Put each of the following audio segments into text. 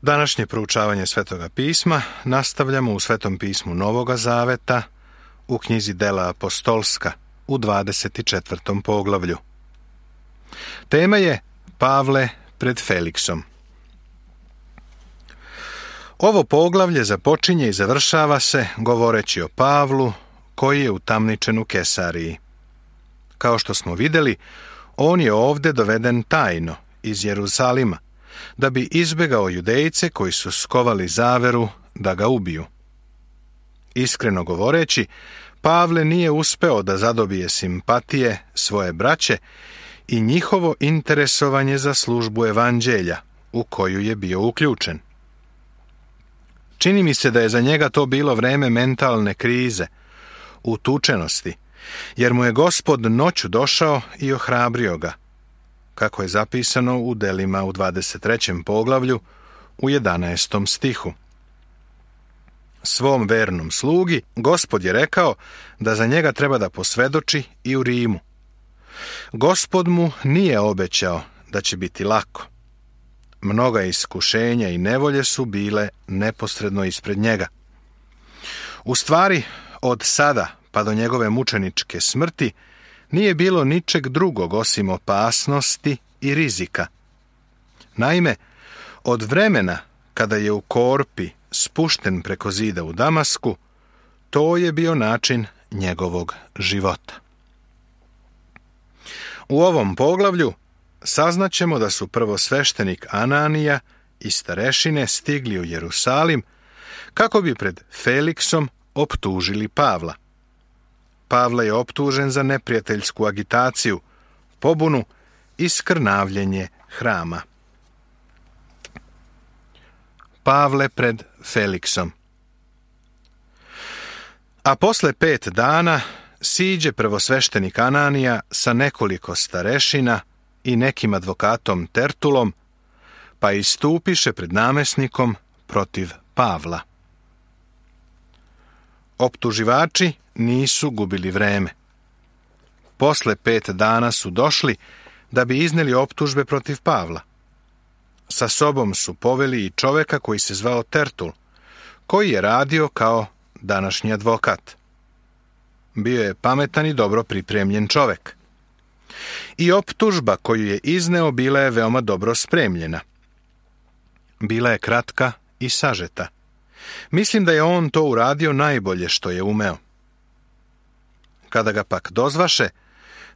Današnje proučavanje Svetoga pisma nastavljamo u Svetom pismu Novoga Zaveta u knjizi Dela apostolska u 24. poglavlju. Tema je Pavle pred Feliksom. Ovo poglavlje započinje i završava se govoreći o Pavlu koji je utamničen u Kesariji. Kao što smo vidjeli, on je ovdje doveden tajno iz Jerusalima, da bi izbjegao Judejce koji su skovali zaveru da ga ubiju. Iskreno govoreći, Pavle nije uspeo da zadobije simpatije svoje braće i njihovo interesovanje za službu evanđelja u koju je bio uključen. Čini mi se da je za njega to bilo vreme mentalne krize, utučenosti, jer mu je Gospod noću došao i ohrabrio ga, kako je zapisano u Delima u 23. poglavlju u 11. stihu. Svom vernom slugi Gospod je rekao da za njega treba da posvedoči i u Rimu. Gospod mu nije obećao da će biti lako. Mnoga iskušenja i nevolje su bile neposredno ispred njega. U stvari, od sada pa do njegove mučeničke smrti nije bilo ničeg drugog osim opasnosti i rizika. Naime, od vremena kada je u korpi spušten preko zida u Damasku, to je bio način njegovog života. U ovom poglavlju saznaćemo da su prvosveštenik Ananija i starešine stigli u Jerusalim kako bi pred Feliksom optužili Pavla. Pavle je optužen za neprijateljsku agitaciju, pobunu i skrnavljenje hrama. Pavle pred Feliksom. A posle 5 dana siđe prvosveštenik Ananija sa nekoliko starešina i nekim advokatom Tertulom, pa istupiše pred namesnikom protiv Pavla. Optuživači nisu gubili vreme. Posle 5 dana su došli da bi izneli optužbe protiv Pavla. Sa sobom su poveli i čoveka koji se zvao Tertul, koji je radio kao današnji advokat. Bio je pametan i dobro pripremljen čovek. I optužba koju je izneo bila je veoma dobro spremljena. Bila je kratka i sažeta. Mislim da je on to uradio najbolje što je umeo. Kada ga pak dozvaše,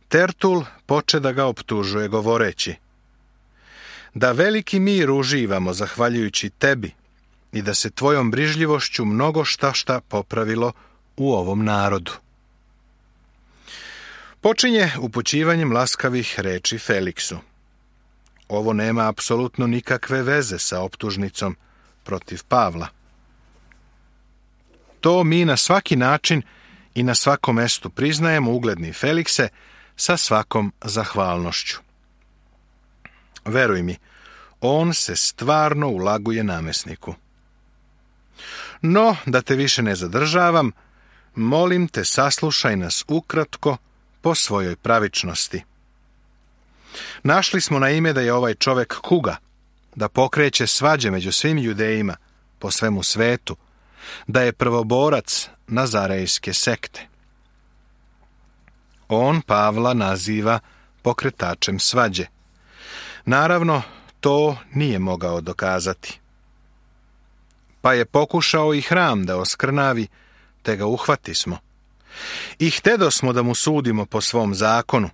Tertul poče da ga optužuje govoreći: da veliki mir uživamo zahvaljujući tebi i da se tvojom brižljivošću mnogo šta popravilo u ovom narodu. Počinje upućivanjem laskavih reči Feliksu. Ovo nema apsolutno nikakve veze sa optužnicom protiv Pavla. To mi na svaki način i na svakom mestu priznajemo, ugledni Felikse, sa svakom zahvalnošću. Veruj mi, on se stvarno ulaguje namesniku. No, da te više ne zadržavam, molim te, saslušaj nas ukratko po svojoj pravičnosti. Našli smo na ime da je ovaj čovek kuga, da pokreće svađe među svim Judejima po svemu svetu, da je prvoborac Nazarejske sekte. On Pavla naziva pokretačem svađe. Naravno, to nije mogao dokazati. Pa je pokušao i hram da oskrnavi, te ga uhvatismo. I htedosmo da mu sudimo po svom zakonu,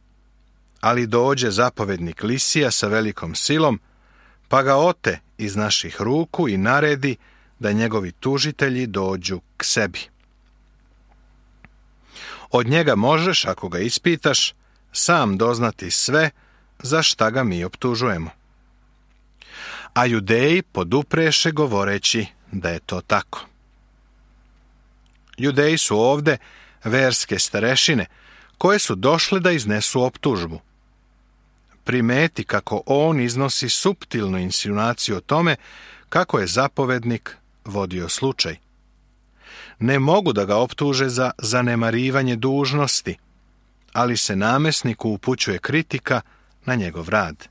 ali dođe zapovednik Lisija sa velikom silom, pa ga ote iz naših ruku i naredi da njegovi tužitelji dođu k sebi. Od njega možeš, ako ga ispitaš, sam doznati sve za šta ga mi optužujemo. A Judeji podupreše govoreći da je to tako. Judeji su ovde verske starešine koje su došle da iznesu optužbu. Primeti kako on iznosi suptilnu insinuaciju o tome kako je zapovednik vodio slučaj. Ne mogu da ga optuže za zanemarivanje dužnosti, ali se namesniku upućuje kritika na njegov rad.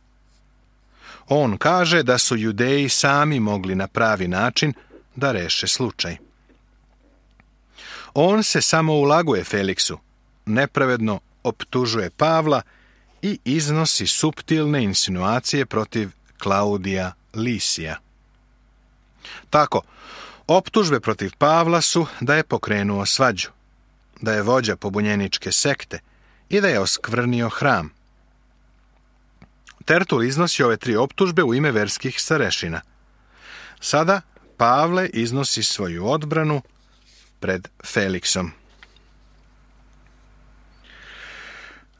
On kaže da su Judeji sami mogli na pravi način da reše slučaj. On se samo ulaguje Feliksu, nepravedno optužuje Pavla i iznosi suptilne insinuacije protiv Klaudija Lisija. Tako, optužbe protiv Pavla su da je pokrenuo svađu, da je vođa pobunjeničke sekte i da je oskvrnio hram. Tertul iznosi ove 3 optužbe u ime verskih starešina. Sada Pavle iznosi svoju odbranu pred Feliksom.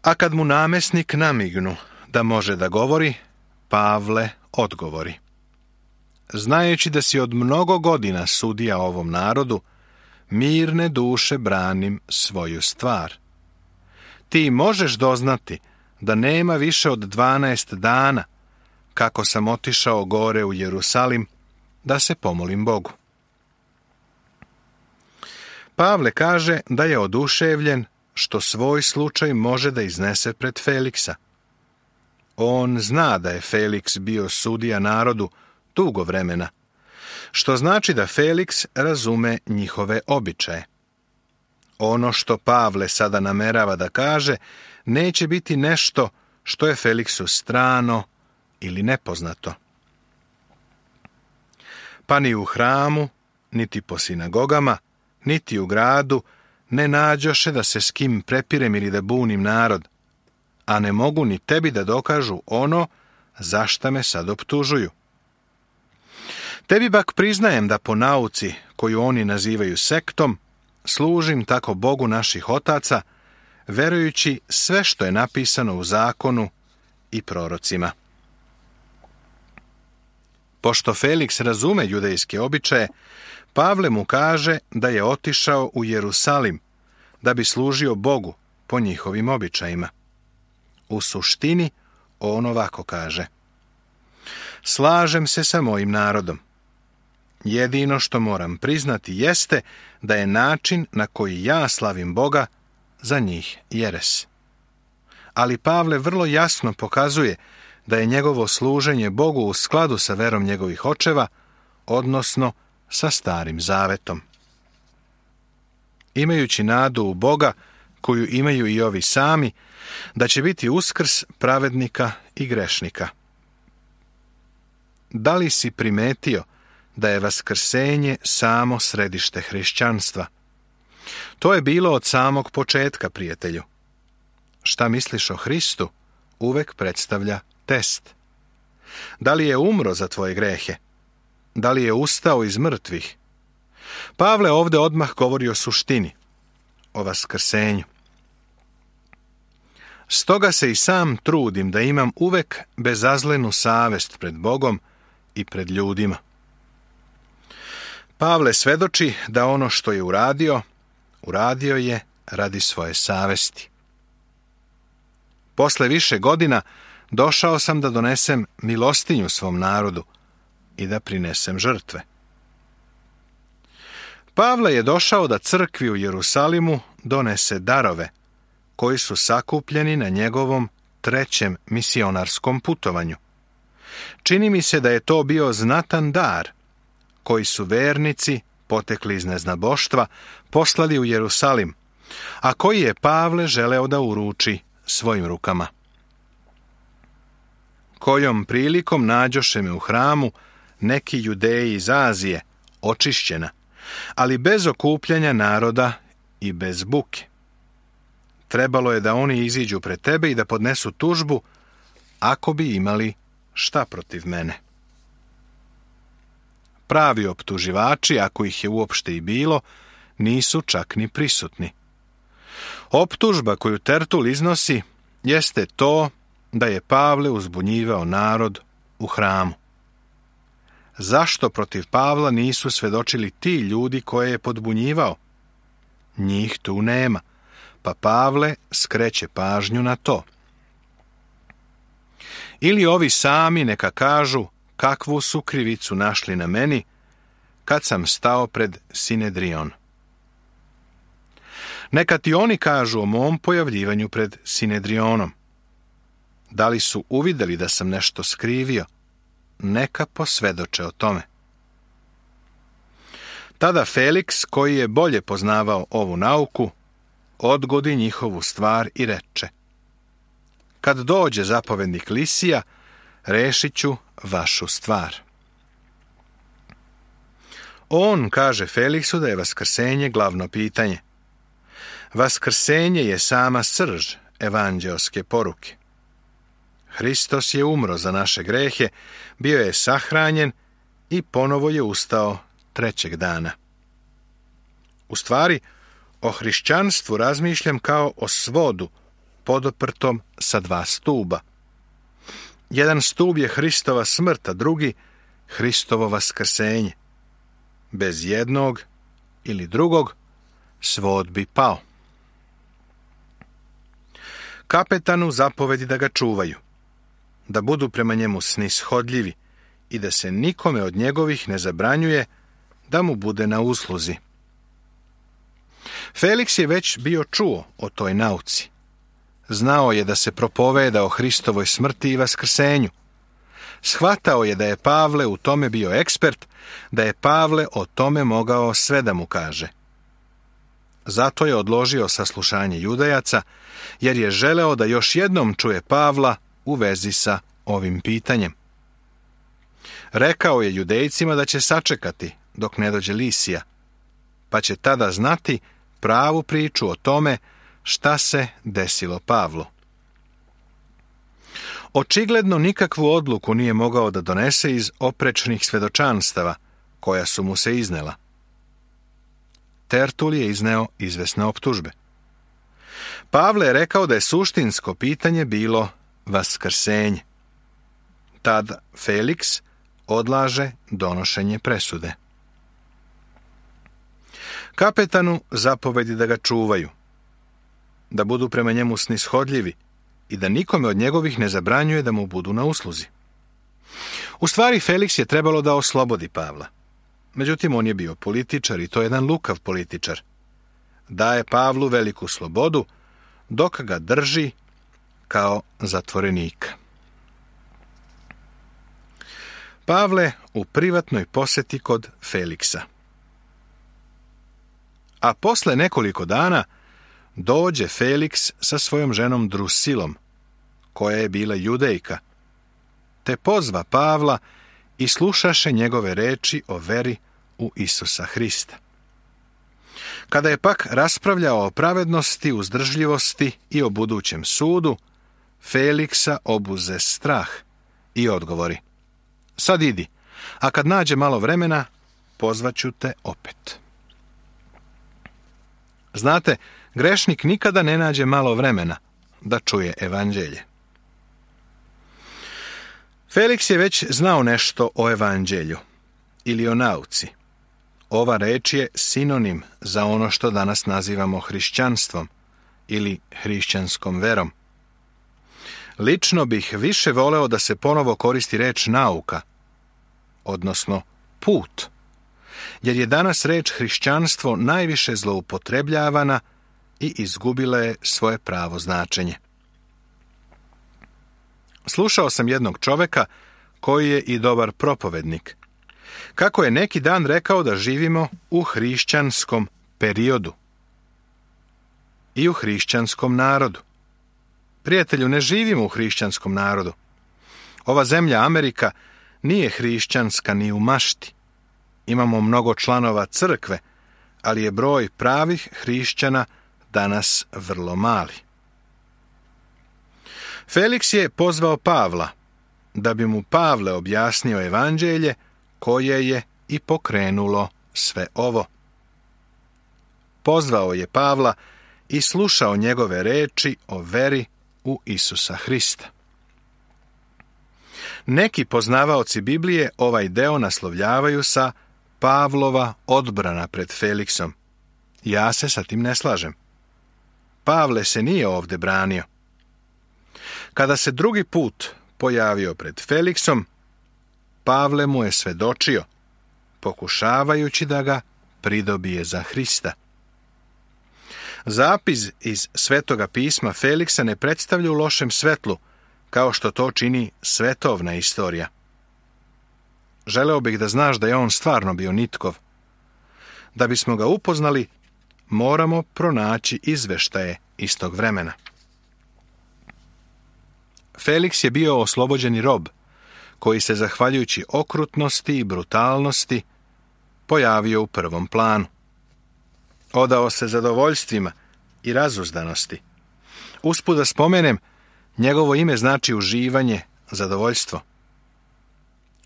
A kad mu namesnik namignu da može da govori, Pavle odgovori. Znajući da si od mnogo godina sudija ovom narodu, mirne duše branim svoju stvar. Ti možeš doznati da nema više od 12 dana kako sam otišao gore u Jerusalim da se pomolim Bogu. Pavle kaže da je oduševljen što svoj slučaj može da iznese pred Feliksa. On zna da je Feliks bio sudija narodu dugo vremena, što znači da Feliks razume njihove običaje. Ono što Pavle sada namerava da kaže neće biti nešto što je Feliksu strano ili nepoznato. Pa ni u hramu, niti po sinagogama, niti u gradu ne nađoše da se s kim prepirem ili da bunim narod, a ne mogu ni tebi da dokažu ono za šta me sad optužuju. Tebi bak priznajem da po nauci, koju oni nazivaju sektom, služim tako Bogu naših otaca, verujući sve što je napisano u zakonu i prorocima. Pošto Feliks razume judejske običaje, Pavle mu kaže da je otišao u Jerusalim da bi služio Bogu po njihovim običajima. U suštini on ovako kaže: slažem se sa mojim narodom. Jedino što moram priznati jeste da je način na koji ja slavim Boga za njih jeres. Ali Pavle vrlo jasno pokazuje da je njegovo služenje Bogu u skladu sa verom njegovih očeva, odnosno sa Starim Zavetom. Imajući nadu u Boga, koju imaju i ovi sami, da će biti uskrs pravednika i grešnika. Da li si primetio da je vaskrsenje samo središte hrišćanstva? To je bilo od samog početka, prijatelju. Šta misliš o Hristu, uvek predstavlja test. Da li je umro za tvoje grehe? Da li je ustao iz mrtvih? Pavle ovdje odmah govori o suštini, o vaskrsenju. Stoga se i sam trudim da imam uvek bezazlenu savest pred Bogom i pred ljudima. Pavle svedoči da ono što je uradio je radi svoje savesti. Posle više godina došao sam da donesem milostinju svom narodu i da prinesem žrtve. Pavle je došao da crkvi u Jerusalimu donese darove, koji su sakupljeni na njegovom 3. misionarskom putovanju. Čini mi se da je to bio znatan dar, koji su vernici, potekli iz neznaboštva, poslali u Jerusalim, a koji je Pavle želeo da uruči svojim rukama. Kojom prilikom nađoše me u hramu neki Judeji iz Azije, očišćena, ali bez okupljanja naroda i bez buke. Trebalo je da oni iziđu pred tebe i da podnesu tužbu, ako bi imali šta protiv mene. Pravi optuživači, ako ih je uopšte i bilo, nisu čak ni prisutni. Optužba koju Tertul iznosi jeste to da je Pavle uzbunjivao narod u hramu. Zašto protiv Pavla nisu svedočili ti ljudi koje je podbunjivao? Njih tu nema, pa Pavle skreće pažnju na to. Ili ovi sami neka kažu kakvu su krivicu našli na meni kad sam stao pred Sinedrion. Neka ti oni kažu o mom pojavljivanju pred Sinedrionom. Da li su uvideli da sam nešto skrivio neka posvjedoče o tome. Tada Feliks, koji je bolje poznavao ovu nauku, odgodi njihovu stvar i reče: kad dođe zapovednik Lisija, rešit ću vašu stvar. On kaže Feliksu da je vaskrsenje glavno pitanje. Vaskrsenje je sama srž evanđeoske poruke. Hristos je umro za naše grehe, bio je sahranjen i ponovo je ustao trećeg dana. U stvari, o hrišćanstvu razmišljam kao o svodu podoprtom sa dva stuba. Jedan stub je Hristova smrt, a drugi Hristovo vaskrsenje. Bez jednog ili drugog svod bi pao. Kapetanu zapovedi da ga čuvaju, da budu prema njemu snishodljivi i da se nikome od njegovih ne zabranjuje da mu bude na usluzi. Feliks je već bio čuo o toj nauci. Znao je da se propoveda o Hristovoj smrti i vaskrsenju. Shvatao je da je Pavle u tome bio ekspert, da je Pavle o tome mogao sve da mu kaže. Zato je odložio saslušanje Judejaca, jer je želeo da još jednom čuje Pavla u vezi sa ovim pitanjem. Rekao je Judejcima da će sačekati dok ne dođe Lisija, pa će tada znati pravu priču o tome šta se desilo Pavlu. Očigledno nikakvu odluku nije mogao da donese iz oprečnih svedočanstava koja su mu se iznela. Tertul je izneo izvesne optužbe. Pavle je rekao da je suštinsko pitanje bilo vaskrsenje. Tad Feliks odlaže donošenje presude. Kapetanu zapovedi da ga čuvaju, da budu prema njemu snishodljivi i da nikome od njegovih ne zabranjuje da mu budu na usluzi. U stvari, Feliks je trebalo da oslobodi Pavla. Međutim, on je bio političar i to je jedan lukav političar. Daje Pavlu veliku slobodu dok ga drži kao zatvorenika. Pavle u privatnoj poseti kod Feliksa. A posle nekoliko dana dođe Feliks sa svojom ženom Drusilom, koja je bila Judejka, te pozva Pavla i slušaše njegove reči o veri u Isusa Hrista. Kada je pak raspravljao o pravednosti, uzdržljivosti i o budućem sudu, Feliksa obuze strah i odgovori: sad idi, a kad nađe malo vremena, pozvaću te opet. Znate, grešnik nikada ne nađe malo vremena da čuje evanđelje. Feliks je već znao nešto o evanđelju ili o nauci. Ova reč je sinonim za ono što danas nazivamo hrišćanstvom ili hrišćanskom verom. Lično bih više voleo da se ponovo koristi reč nauka, odnosno put, jer je danas reč hrišćanstvo najviše zloupotrebljavana i izgubila je svoje pravo značenje. Slušao sam jednog čoveka koji je i dobar propovednik, kako je neki dan rekao da živimo u hrišćanskom periodu i u hrišćanskom narodu. Prijatelju, ne živimo u hrišćanskom narodu. Ova zemlja Amerika nije hrišćanska ni u mašti. Imamo mnogo članova crkve, ali je broj pravih hrišćana danas vrlo mali. Feliks je pozvao Pavla, da bi mu Pavle objasnio evanđelje koje je i pokrenulo sve ovo. Pozvao je Pavla i slušao njegove reči o veri u Isusa Hrista. Neki poznavaoci Biblije ovaj deo naslovljavaju sa Pavlova odbrana pred Feliksom. Ja se sa tim ne slažem. Pavle se nije ovdje branio. Kada se drugi put pojavio pred Feliksom, Pavle mu je svedočio, pokušavajući da ga pridobije za Hrista. Zapis iz Svetoga pisma Feliksa ne predstavlja u lošem svetlu, kao što to čini svetovna istorija. želeo bih da znaš da je on stvarno bio nitkov. Da bismo ga upoznali, moramo pronaći izveštaje iz tog vremena. Feliks je bio oslobođeni rob, koji se, zahvaljujući okrutnosti i brutalnosti, pojavio u prvom planu. Odao se zadovoljstvima i razuzdanosti. Usput da spomenem, njegovo ime znači uživanje, zadovoljstvo.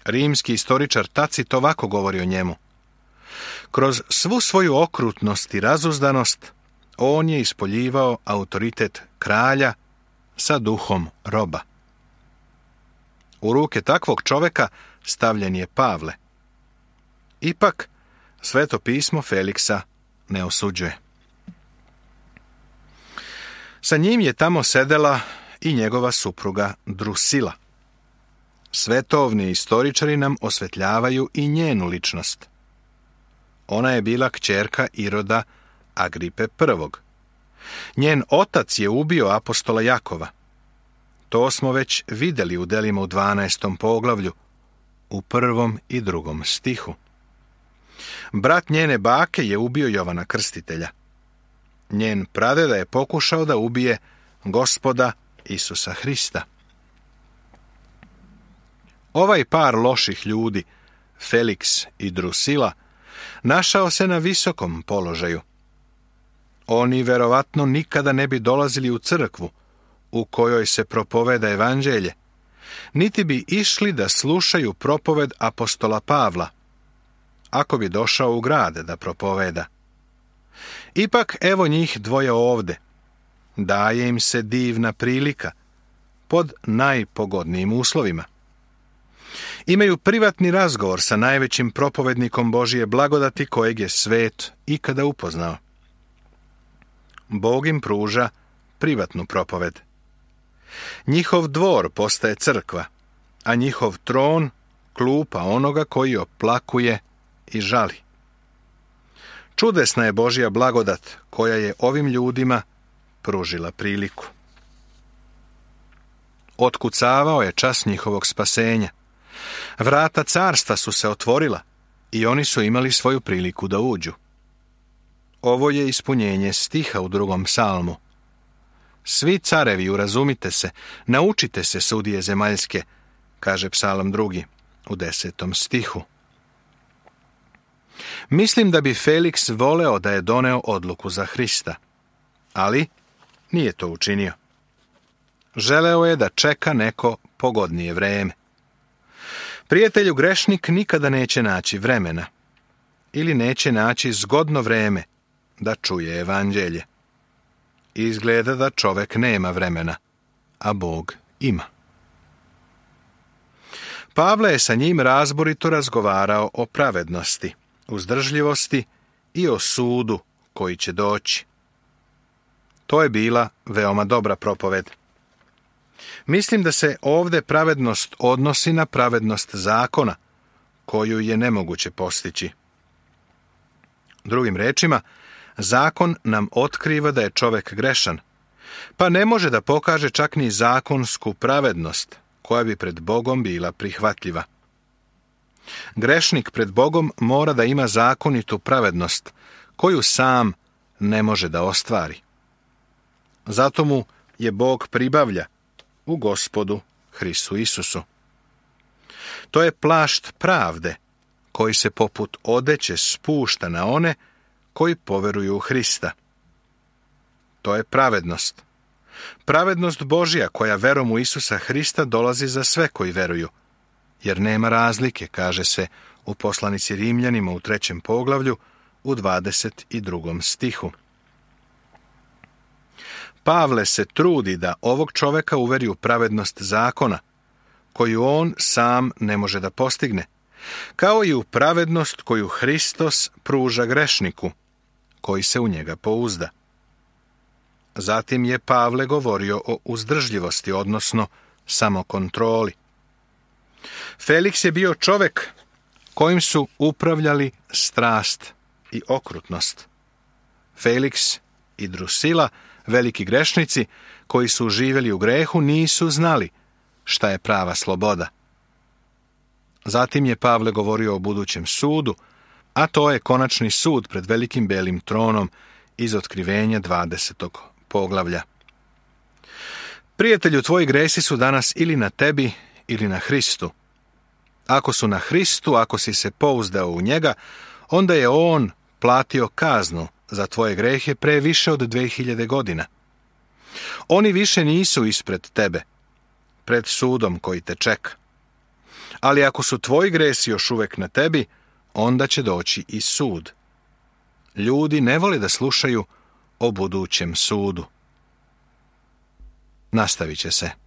Rimski istoričar Tacit ovako govori o njemu. Kroz svu svoju okrutnost i razuzdanost, on je ispoljivao autoritet kralja sa duhom roba. U ruke takvog čoveka stavljen je Pavle. Ipak, Sveto pismo Feliksa ne osuđuje. Sa njim je tamo sedela i njegova supruga Drusila. Svetovni istoričari nam osvetljavaju i njenu ličnost. Ona je bila kćerka Iroda Agripe I. Njen otac je ubio apostola Jakova. To smo već vidjeli u delima u 12. poglavlju, u 1. i 2. stihu. Brat njene bake je ubio Jovana Krstitelja. Njen pradeda je pokušao da ubije Gospoda Isusa Hrista. Ovaj par loših ljudi, Feliks i Drusila, našao se na visokom položaju. Oni verovatno nikada ne bi dolazili u crkvu u kojoj se propoveda evanđelje, niti bi išli da slušaju propoved apostola Pavla, ako bi došao u grad da propoveda. Ipak evo njih dvoje ovde. Daje im se divna prilika, pod najpogodnijim uslovima. Imaju privatni razgovor sa najvećim propovednikom Božije blagodati kojeg je svet ikada upoznao. Bog im pruža privatnu propoved. Njihov dvor postaje crkva, a njihov tron klupa onoga koji oplakuje i žali. Čudesna je Božja blagodat koja je ovim ljudima pružila priliku. Otkucavao je čas njihovog spasenja. Vrata carstva su se otvorila i oni su imali svoju priliku da uđu. Ovo je ispunjenje stiha u 2. psalmu. Svi carevi, urazumite se, naučite se, sudije zemaljske, kaže psalam 2. u 10. stihu. Mislim da bi Feliks voleo da je doneo odluku za Hrista, ali nije to učinio. Želeo je da čeka neko pogodnije vreme. Prijatelju, grešnik nikada neće naći vremena ili neće naći zgodno vreme da čuje evanđelje. Izgleda da čovek nema vremena, a Bog ima. Pavle je sa njim razborito razgovarao o pravednosti, uzdržljivosti i o sudu koji će doći. To je bila veoma dobra propoved. Mislim da se ovde pravednost odnosi na pravednost zakona, koju je nemoguće postići. Drugim rečima, zakon nam otkriva da je čovek grešan, pa ne može da pokaže čak ni zakonsku pravednost, koja bi pred Bogom bila prihvatljiva. Grešnik pred Bogom mora da ima zakonitu pravednost, koju sam ne može da ostvari. Zato mu je Bog pribavlja u Gospodu Hristu Isusu. To je plašt pravde, koji se poput odeće spušta na one koji poveruju u Hrista. To je pravednost. Pravednost Božja koja verom u Isusa Hrista dolazi za sve koji veruju, jer nema razlike, kaže se u poslanici Rimljanima u 3. poglavlju u 22. stihu. Pavle se trudi da ovog čoveka uveri u pravednost zakona, koju on sam ne može da postigne, kao i u pravednost koju Hristos pruža grešniku, koji se u njega pouzda. Zatim je Pavle govorio o uzdržljivosti, odnosno samokontroli. Feliks je bio čovek kojim su upravljali strast i okrutnost. Feliks i Drusila, veliki grešnici koji su živjeli u grehu, nisu znali šta je prava sloboda. Zatim je Pavle govorio o budućem sudu, a to je konačni sud pred velikim belim tronom iz Otkrivenja 20. poglavlja. Prijatelju, tvoji gresi su danas ili na tebi ili na Hristu. Ako su na Hristu, ako si se pouzdao u njega, onda je on platio kaznu za tvoje grehe pre više od 2000 godina. Oni više nisu ispred tebe, pred sudom koji te čeka. Ali ako su tvoji gresi još uvek na tebi, onda će doći i sud. Ljudi ne vole da slušaju o budućem sudu. Nastavit će se.